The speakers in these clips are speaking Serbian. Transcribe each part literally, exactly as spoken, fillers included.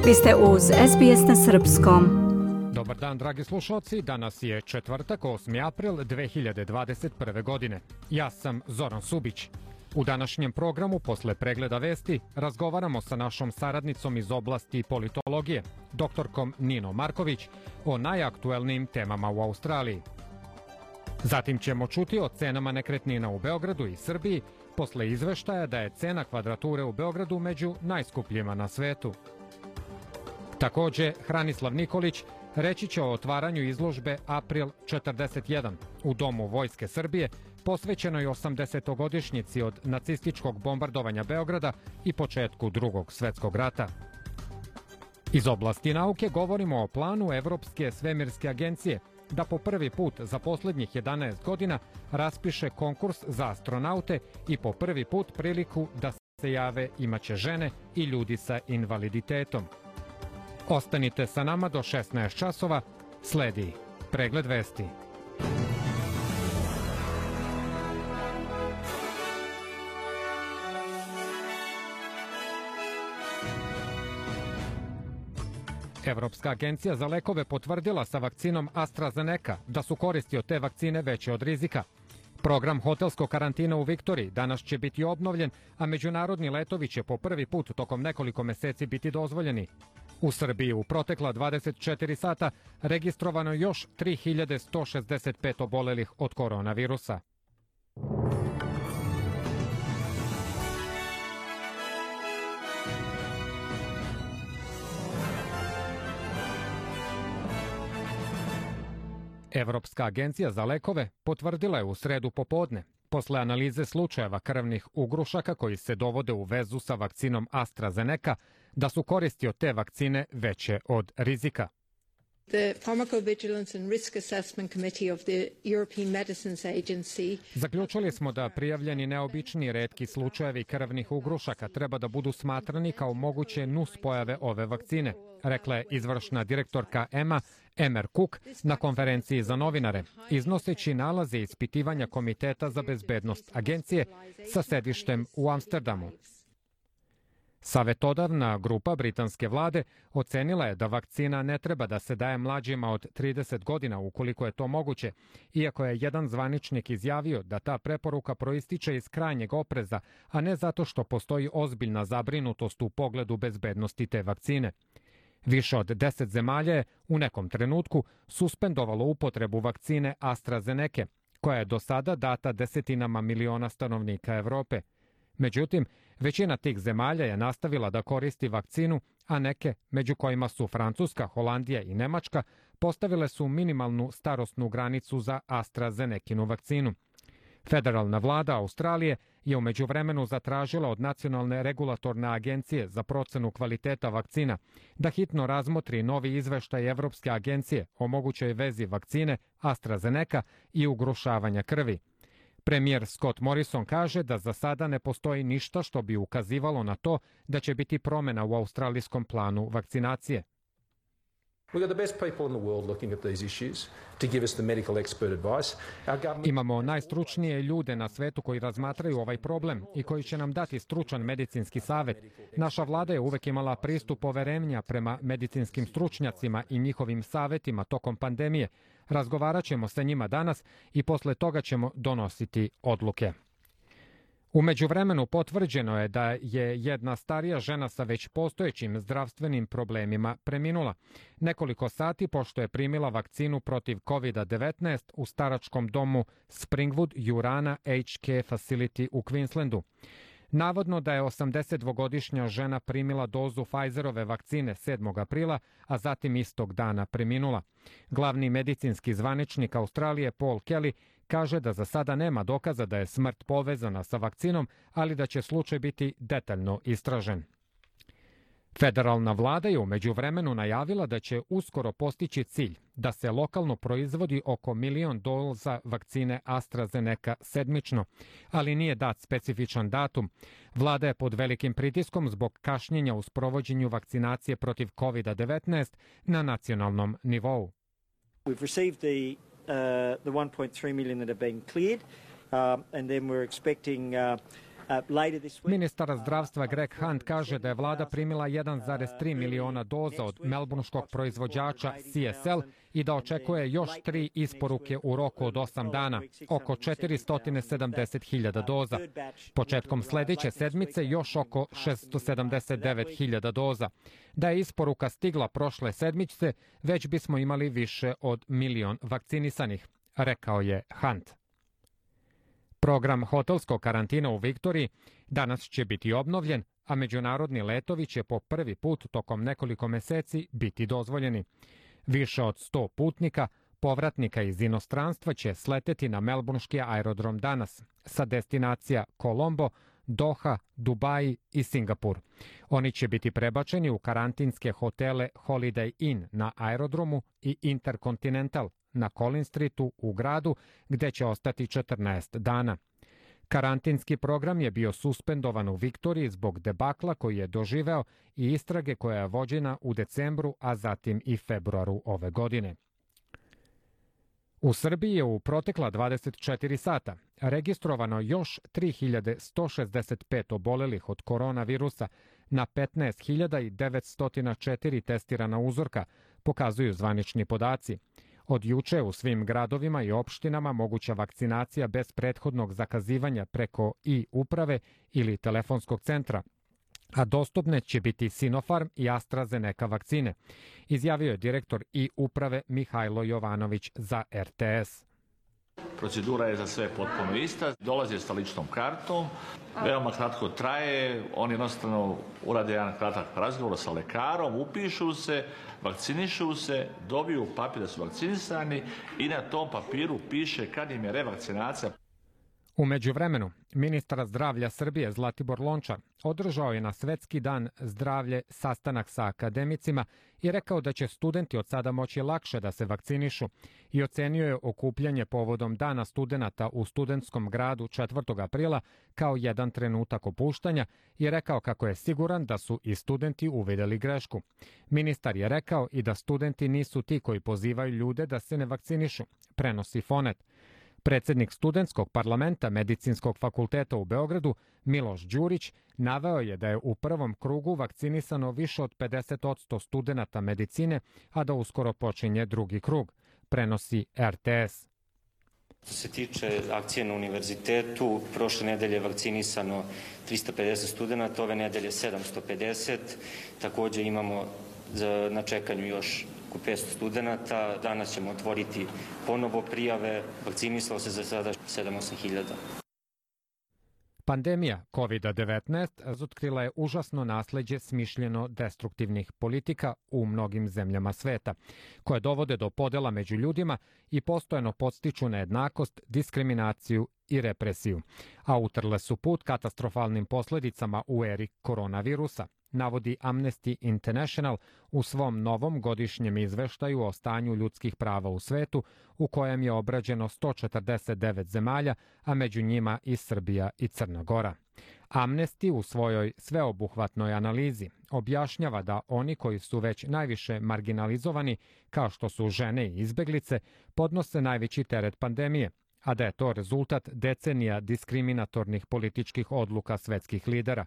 Vi ste uz S B S na srpskom. Dobar dan, dragi slušalci. Danas je četvrtak, osmi april dve hiljade dvadeset prve. godine. Ja sam Zoran Subić. U današnjem programu, posle pregleda vesti, razgovaramo sa našom saradnicom iz oblasti politologije, doktorkom Ninom Marković, o najaktuelnijim temama u Australiji. Zatim ćemo čuti o cenama nekretnina u Beogradu i Srbiji, posle izveštaja da je cena kvadrature u Beogradu među najskupljima na svetu. Takođe, Hranislav Nikolić reći će o otvaranju izložbe April četrdeset jedan u Domu Vojske Srbije, posvećenoj osamdesetogodišnjici od nacističkog bombardovanja Beograda i početku Drugog svetskog rata. Iz oblasti nauke govorimo o planu Evropske svemirske agencije da po prvi put za poslednjih jedanaest godina raspiše konkurs za astronaute i po prvi put priliku da se jave imaće žene i ljudi sa invaliditetom. Ostanite sa nama do šesnaest časova, sledi pregled vesti. Evropska agencija za lekove potvrdila sa vakcinom AstraZeneca da su koristi od te vakcine veće od rizika. Program hotelskog karantina u Viktoriji danas će biti obnovljen, a međunarodni letovi će po prvi put tokom nekoliko meseci biti dozvoljeni. U Srbiji u protekla dvadeset četiri sata registrovano još tri hiljade sto šezdeset pet obolelih od koronavirusa. Evropska agencija za lekove potvrdila je u sredu popodne, posle analize slučajeva krvnih ugrušaka koji se dovode u vezu sa vakcinom AstraZeneca, da su koristi od te vakcine veće od rizika. The Pharmacovigilance and Risk Assessment Committee of the European Medicines Agency Zaključili smo da prijavljeni neobični retki slučajevi krvnih ugrušaka treba da budu smatrani kao moguće nuspojave ove vakcine, rekla je izvršna direktorka E M A Emer Cook na konferenciji za novinare, iznoseći nalaze ispitivanja Komiteta za bezbednost agencije sa sedištem u Amsterdamu. Savetodavna grupa britanske vlade ocenila je da vakcina ne treba da se daje mlađima od trideset godina ukoliko je to moguće, iako je jedan zvaničnik izjavio da ta preporuka proističe iz krajnjeg opreza, a ne zato što postoji ozbiljna zabrinutost u pogledu bezbednosti te vakcine. Više od deset zemalja je u nekom trenutku suspendovalo upotrebu vakcine AstraZeneca, koja je do sada data desetinama miliona stanovnika Evrope. Međutim, većina tih zemalja je nastavila da koristi vakcinu, a neke, među kojima su Francuska, Holandija i Nemačka, postavile su minimalnu starosnu granicu za AstraZenecinu vakcinu. Federalna vlada Australije je u međuvremenu zatražila od Nacionalne regulatorne agencije za procenu kvaliteta vakcina da hitno razmotri novi izveštaj Evropske agencije o mogućoj vezi vakcine AstraZeneca i ugrušavanja krvi. Premijer Scott Morrison kaže da za sada ne postoji ništa što bi ukazivalo na to da će biti promena u australijskom planu vakcinacije. Imamo najstručnije ljude na svetu koji razmatraju ovaj problem i koji će nam dati stručan medicinski savet. Naša vlada je uvek imala pristup poverenja prema medicinskim stručnjacima i njihovim savetima tokom pandemije. Razgovarat ćemo sa njima danas i posle toga ćemo donositi odluke. U međuvremenu potvrđeno je da je jedna starija žena sa već postojećim zdravstvenim problemima preminula. Nekoliko sati pošto je primila vakcinu protiv kovid devetnaest u staračkom domu Springwood Urana H K Facility u Queenslandu. Navodno da je osamdesetdvogodišnja žena primila dozu Pfizerove vakcine sedmog aprila, a zatim istog dana preminula. Glavni medicinski zvaničnik Australije Paul Kelly kaže da za sada nema dokaza da je smrt povezana sa vakcinom, ali da će slučaj biti detaljno istražen. Federalna vlada je u međuvremenu najavila da će uskoro postići cilj da se lokalno proizvodi oko milion doza vakcine AstraZeneca sedmično, ali nije dat specifičan datum. Vlada je pod velikim pritiskom zbog kašnjenja u sprovođenju vakcinacije protiv kovid devetnaest na nacionalnom nivou. We've received the uh, the one point three million that have been cleared, um, and then we're expecting uh, Ministar zdravstva Greg Hunt kaže da je vlada primila jedan zarez tri miliona doza od melburnškog proizvođača C S L i da očekuje još tri isporuke u roku od osam dana, oko četiristo sedamdeset hiljada doza. Početkom sledeće sedmice još oko šesto sedamdeset devet hiljada doza. Da je isporuka stigla prošle sedmice, već bismo imali više od milion vakcinisanih, rekao je Hunt. Program hotelskog karantina u Viktoriji danas će biti obnovljen, a međunarodni letovi će po prvi put tokom nekoliko meseci biti dozvoljeni. Više od sto putnika, povratnika iz inostranstva će sleteti na melburnški aerodrom danas sa destinacija Kolombo, Doha, Dubai i Singapur. Oni će biti prebačeni u karantinske hotele Holiday Inn na aerodromu i Intercontinental na Collins Streetu u gradu, gde će ostati četrnaest dana. Karantinski program je bio suspendovan u Viktoriji zbog debakla koji je doživeo i istrage koja je vođena u decembru, a zatim i februaru ove godine. U Srbiji je u protekla dvadeset četiri sata registrovano još tri hiljade sto šezdeset pet obolelih od koronavirusa na petnaest hiljada devetsto četiri testirana uzorka, pokazuju zvanični podaci. Od juče u svim gradovima i opštinama moguća vakcinacija bez prethodnog zakazivanja preko i-uprave ili telefonskog centra, a dostupne će biti Sinopharm i AstraZeneca vakcine, izjavio je direktor i-uprave Mihajlo Jovanović za R T S. Procedura je za sve potpuno ista, dolaze sa ličnom kartom, veoma kratko traje, oni jednostavno urade jedan kratak razgovor sa lekarom, upišu se, vakcinišu se, dobiju papir da su vakcinisani i na tom papiru piše kad im je revakcinacija. U međuvremenu, ministar zdravlja Srbije Zlatibor Lončar održao je na Svetski dan zdravlje sastanak sa akademicima i rekao da će studenti od sada moći lakše da se vakcinišu i ocenio je okupljanje povodom Dana studenata u studentskom gradu četvrtog aprila kao jedan trenutak opuštanja i rekao kako je siguran da su i studenti uvideli grešku. Ministar je rekao i da studenti nisu ti koji pozivaju ljude da se ne vakcinišu, prenosi Fonet. Predsednik studentskog parlamenta Medicinskog fakulteta u Beogradu, Miloš Đurić, naveo je da je u prvom krugu vakcinisano više od pedeset posto studenata medicine, a da uskoro počinje drugi krug, prenosi R T S. Što se tiče akcije na univerzitetu, prošle nedelje je vakcinisano trista pedeset studenta, ove nedelje sedamsto pedeset. Takođe imamo na čekanju još oko petsto studenta. Danas ćemo otvoriti ponovo prijave. Vakcinisalo se za sada sedam do osam hiljada. Pandemija kovid devetnaest razotkrila je užasno nasleđe smišljeno destruktivnih politika u mnogim zemljama sveta, koje dovode do podela među ljudima i postojano podstiču nejednakost, diskriminaciju i represiju, a utrle su put katastrofalnim posledicama u eri koronavirusa, navodi Amnesty International u svom novom godišnjem izveštaju o stanju ljudskih prava u svetu, u kojem je obrađeno sto četrdeset devet zemalja, a među njima i Srbija i Crna Gora. Amnesty u svojoj sveobuhvatnoj analizi objašnjava da oni koji su već najviše marginalizovani, kao što su žene i izbeglice, podnose najveći teret pandemije, a da je to rezultat decenija diskriminatornih političkih odluka svetskih lidera.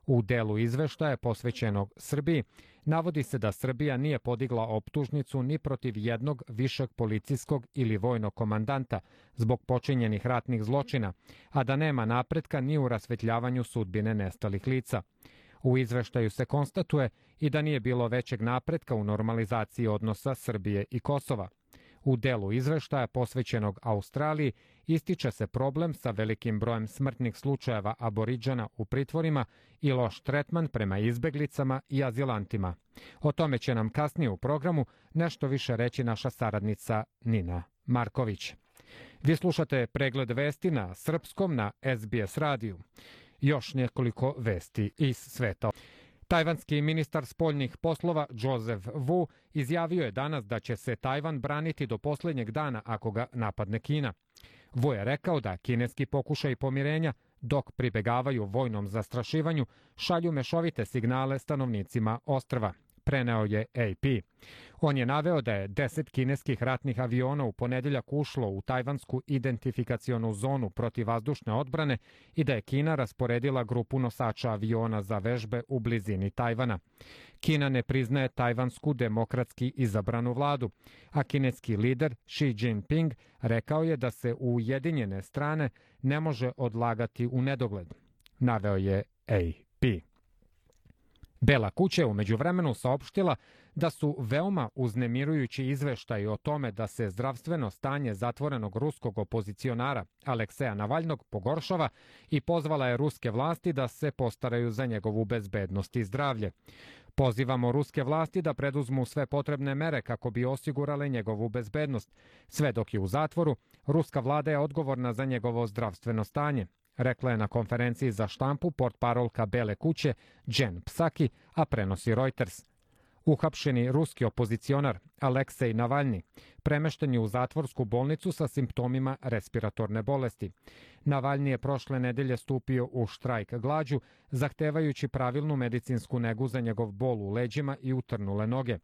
U delu izveštaja posvećenog Srbiji navodi se da Srbija nije podigla optužnicu ni protiv jednog višeg policijskog ili vojnog komandanta zbog počinjenih ratnih zločina, a da nema napretka ni u rasvetljavanju sudbine nestalih lica. U izveštaju se konstatuje i da nije bilo većeg napretka u normalizaciji odnosa Srbije i Kosova. U delu izveštaja posvećenog Australiji ističe se problem sa velikim brojem smrtnih slučajeva aboriđana u pritvorima i loš tretman prema izbeglicama i azilantima. O tome će nam kasnije u programu nešto više reći naša saradnica Nina Marković. Vi slušate pregled vesti na srpskom na S B S radiju. Još nekoliko vesti iz sveta. Tajvanski ministar spoljnih poslova Joseph Wu izjavio je danas da će se Tajvan braniti do poslednjeg dana ako ga napadne Kina. Wu je rekao da kineski pokušaj pomirenja, dok pribegavaju vojnom zastrašivanju, šalju mešovite signale stanovnicima ostrva, preneo je A P. On je naveo da je deset kineskih ratnih aviona u ponedeljak ušlo u tajvansku identifikacionu zonu protivvazdušne odbrane i da je Kina rasporedila grupu nosača aviona za vežbe u blizini Tajvana. Kina ne priznaje tajvansku demokratski izabranu vladu, a kineski lider Xi Jinping rekao je da se ujedinjene strane ne može odlagati u nedogled, naveo je A P. Bela kuća je u međuvremenu saopštila da su veoma uznemirujući izveštaji o tome da se zdravstveno stanje zatvorenog ruskog opozicionara Alekseja Navalnog pogoršava i pozvala je ruske vlasti da se postaraju za njegovu bezbednost i zdravlje. Pozivamo ruske vlasti da preduzmu sve potrebne mere kako bi osigurale njegovu bezbednost. Sve dok je u zatvoru, ruska vlada je odgovorna za njegovo zdravstveno stanje, rekla je na konferenciji za štampu portparolka Bele kuće Jen Psaki, a prenosi Reuters. Uhapšeni ruski opozicionar Aleksej Navalni premešten je u zatvorsku bolnicu sa simptomima respiratorne bolesti. Navalni je prošle nedelje stupio u štrajk glađu, zahtevajući pravilnu medicinsku negu za njegov bol u leđima i utrnule noge.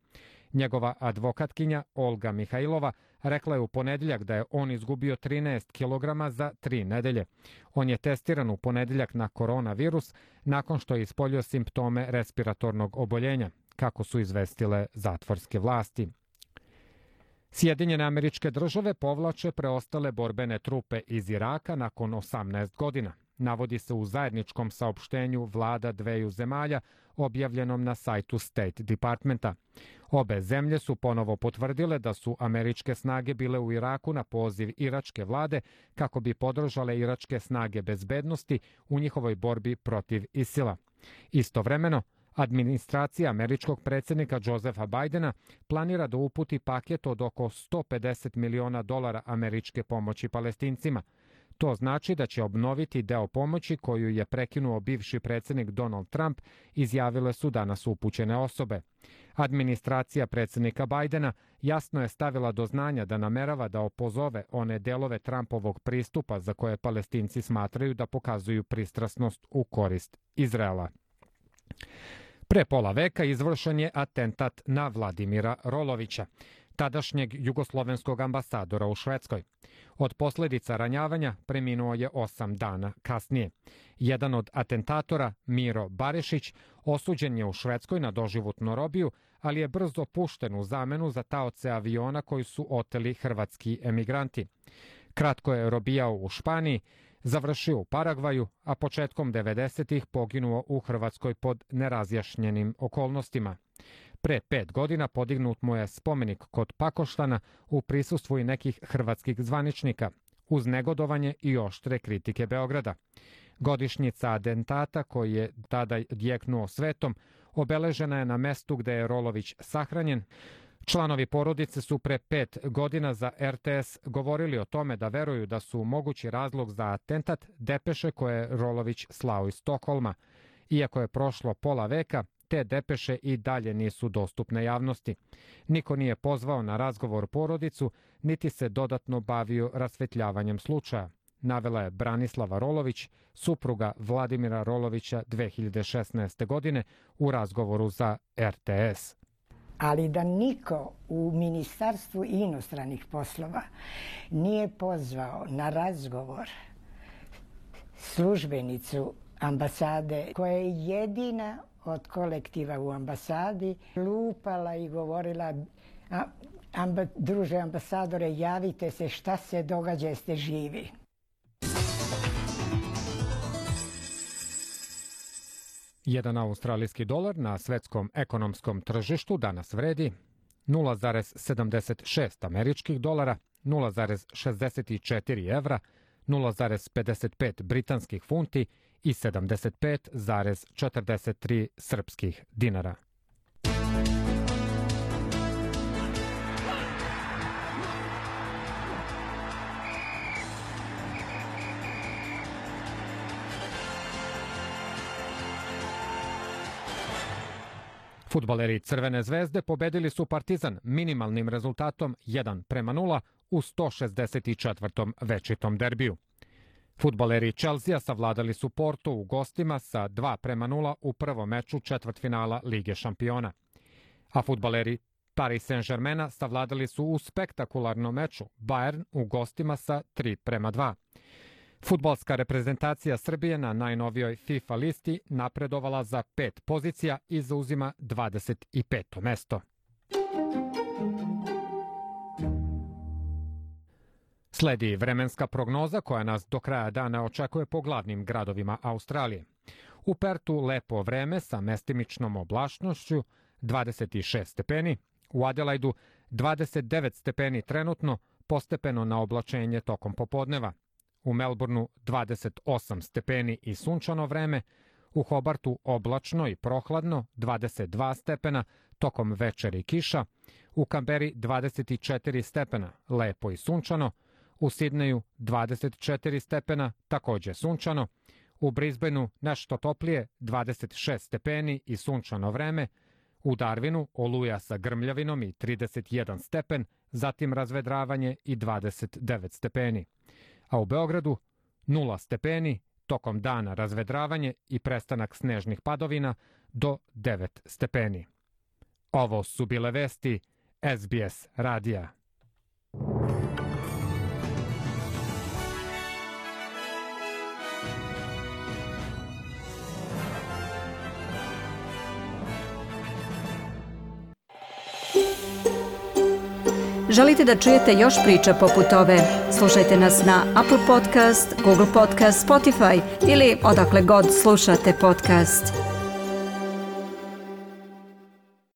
Njegova advokatkinja Olga Mihajlova rekla je u ponedeljak da je on izgubio trinaest kilograma za tri nedelje. On je testiran u ponedeljak na koronavirus nakon što je ispoljio simptome respiratornog oboljenja, kako su izvestile zatvorske vlasti. Sjedinjene Američke Države povlače preostale borbene trupe iz Iraka nakon osamnaest godina, navodi se u zajedničkom saopštenju vlada dveju zemalja objavljenom na sajtu State Departmenta. Obe zemlje su ponovo potvrdile da su američke snage bile u Iraku na poziv iračke vlade kako bi podržale iračke snage bezbednosti u njihovoj borbi protiv ISIL-a. Istovremeno, administracija američkog predsjednika Josepha Bidena planira da uputi paket od oko sto pedeset miliona dolara američke pomoći Palestincima. To znači da će obnoviti deo pomoći koju je prekinuo bivši predsjednik Donald Trump, izjavile su danas upućene osobe. Administracija predsjednika Bidena jasno je stavila do znanja da namerava da opozove one delove Trumpovog pristupa za koje Palestinci smatraju da pokazuju pristrasnost u korist Izraela. Pre pola veka izvršen je atentat na Vladimira Rolovića, tadašnjeg jugoslovenskog ambasadora u Švedskoj. Od posljedica ranjavanja preminuo je osam dana kasnije. Jedan od atentatora, Miro Barišić, osuđen je u Švedskoj na doživotnu robiju, ali je brzo pušten u zamenu za taoce aviona koji su oteli hrvatski emigranti. Kratko je robijao u Španiji, završio u Paragvaju, a početkom devedesetih poginuo u Hrvatskoj pod nerazjašnjenim okolnostima. Pre pet godina podignut mu je spomenik kod Pakoštana u prisustvu i nekih hrvatskih zvaničnika, uz negodovanje i oštre kritike Beograda. Godišnjica atentata, koji je tada djeknuo svetom, obeležena je na mestu gde je Rolović sahranjen. Članovi porodice su pre pet godina za R T S govorili o tome da veruju da su mogući razlog za atentat depeše koje je Rolović slao iz Stokholma. Iako je prošlo pola veka, te depeše i dalje nisu dostupne javnosti. Niko nije pozvao na razgovor porodicu, niti se dodatno bavio rasvetljavanjem slučaja, navela je Branislava Rolović, supruga Vladimira Rolovića dve hiljade šesnaeste. godine u razgovoru za R T S. Ali da niko u Ministarstvu inostranih poslova nije pozvao na razgovor službenicu ambasade, koja je jedina od kolektiva u ambasadi lupala i govorila: a, amba, druže ambasadore, javite se, šta se događa, jeste živi. Jedan australijski dolar na svetskom ekonomskom tržištu danas vredi nula zarez sedamdeset šest američkih dolara, nula zarez šezdeset četiri evra, nula zarez pedeset pet britanskih funti i sedamdeset pet zarez četrdeset tri srpskih dinara. Fudbaleri Crvene zvezde pobedili su Partizan minimalnim rezultatom jedan prema nula u sto šezdeset četvrtom večitom derbiju. Fudbaleri Chelsea savladali su Porto u gostima sa dva prema nula u prvom meču četvrtfinala Lige šampiona. A fudbaleri Paris Saint-Germaina savladali su u spektakularnom meču Bayern u gostima sa tri prema dva. Fudbalska reprezentacija Srbije na najnovijoj FIFA listi napredovala za pet pozicija i zauzima dvadeset peto mesto. Sledi vremenska prognoza koja nas do kraja dana očekuje po glavnim gradovima Australije. U Pertu lepo vreme sa mestimičnom oblačnošću, dvadeset šest stepeni, u Adelaidu dvadeset devet stepeni trenutno, postepeno na oblačenje tokom popodneva. U Melbourneu dvadeset osam stepeni i sunčano vreme, u Hobartu oblačno i prohladno, dvadeset dva stepena, tokom večeri kiša, u Kamberi dvadeset četiri stepena, lepo i sunčano, u Sidneju dvadeset četiri stepena, takođe sunčano, u Brisbaneu nešto toplije, dvadeset šest stepeni i sunčano vreme, u Darwinu oluja sa grmljavinom i trideset jedan stepen, zatim razvedravanje i dvadeset devet stepeni. A u Beogradu nula stepeni, tokom dana razvedravanje i prestanak snežnih padovina do devet stepeni. Ovo su bile vesti S B S radija. Želite da čujete još priča poput ove? Slušajte nas na Apple Podcast, Google Podcast, Spotify ili odakle god slušate podcast.